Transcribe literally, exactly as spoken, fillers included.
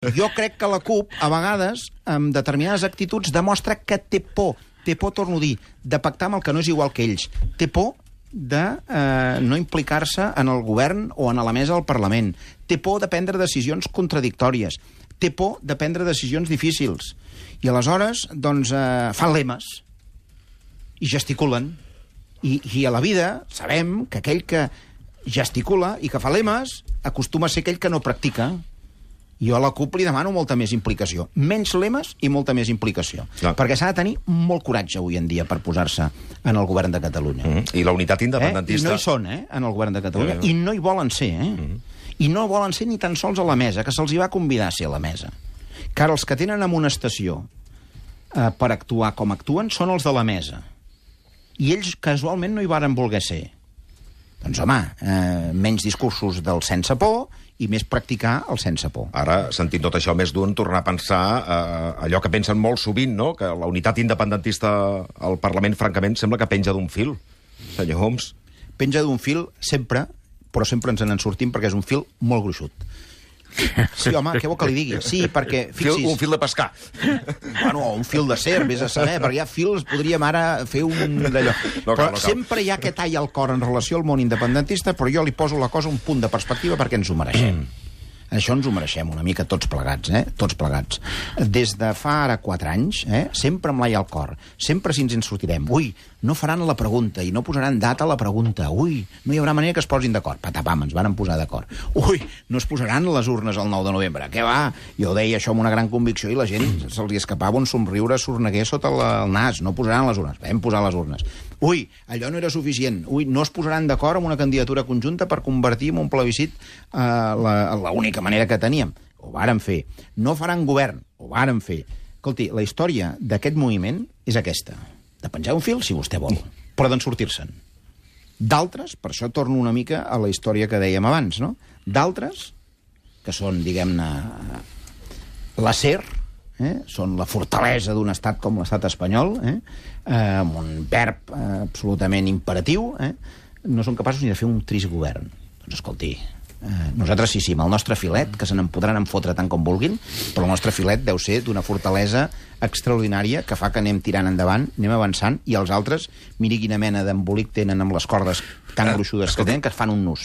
Jo crec que la CUP, a vegades, amb determinades actituds, demostra que té por, té por, torno a dir, de pactar amb el que no és igual que ells. Té por de eh, no implicar-se en el govern o en la mesa del Parlament. Té por de prendre decisions contradictòries. Té por de prendre decisions difícils. I aleshores, doncs, eh, fan lemes i gesticulen. I, I a la vida sabem que aquell que gesticula i que fa lemes acostuma a ser aquell que no practica. Jo a la CUP li demano molta més implicació. Menys lemes i molta més implicació. Clar. Perquè s'ha de tenir molt coratge avui en dia per posar-se en el govern de Catalunya. Mm-hmm. I la unitat independentista... Eh? I no hi són, eh, en el govern de Catalunya. Ja, ja. I no hi volen ser, eh? Mm-hmm. I no volen ser ni tan sols a la mesa, que se'ls hi va convidar a ser a la mesa. Que ara els que tenen amonestació eh, per actuar com actuen són els de la mesa. I ells casualment no hi varen voler ser. Doncs, home, eh, menys discursos del sense por i més practicar el sense por. Ara, sentint tot això, més d'un tornar a pensar eh, allò que pensen molt sovint, no?, que la unitat independentista al Parlament, francament, sembla que penja d'un fil, senyor Homs. Penja d'un fil sempre, però sempre ens en sortim perquè és un fil molt gruixut. Sí, home, què vol que li digui? Sí, perquè, fixis... Fil, un fil de pescar. Bueno, un fil de ser, vés a saber, perquè hi ha fils, podríem ara fer un d'allò. No però cal, no cal. Sempre hi ha aquest tall al cor en relació al món independentista, però jo li poso la cosa un punt de perspectiva perquè ens ho mereixem. Això ens ho mereixem una mica tots plegats, eh? Tots plegats. Des de fa ara quatre anys, eh? Sempre amb l'ai al cor. Sempre si ens en sortirem. Ui, no faran la pregunta i no posaran data a la pregunta. Ui, no hi haurà manera que es posin d'acord. Patapam, ens varen posar d'acord. Ui, no es posaran les urnes el nou de novembre. Què va? Jo deia això amb una gran convicció i la gent se'ls escapava un somriure sorneguer sota el nas. No posaran les urnes. Vam posar les urnes. Ui, allò no era suficient. Ui, no es posaran d'acord amb una candidatura conjunta per convertir en un plebiscit eh, la, la única manera que teníem. Ho vàrem fer. No faran govern. Ho vàrem fer. Escolti, la història d'aquest moviment és aquesta. De penjar un fil, si vostè vol, però d'en sortir-se'n. D'altres, per això torno una mica a la història que dèiem abans, no? D'altres, que són, diguem-ne, l'acer, eh? Són la fortalesa d'un estat com l'estat espanyol, eh? Eh, amb un verb eh, absolutament imperatiu, eh? No són capaços ni de fer un trist govern. Doncs escolti, eh, nosaltres sí, sí, amb el nostre filet, que se n'en podran enfotre tant com vulguin, però el nostre filet deu ser d'una fortalesa extraordinària que fa que anem tirant endavant, anem avançant, i els altres, miri quina mena d'embolic tenen amb les cordes tan gruixudes que tenen, que es fan un nus.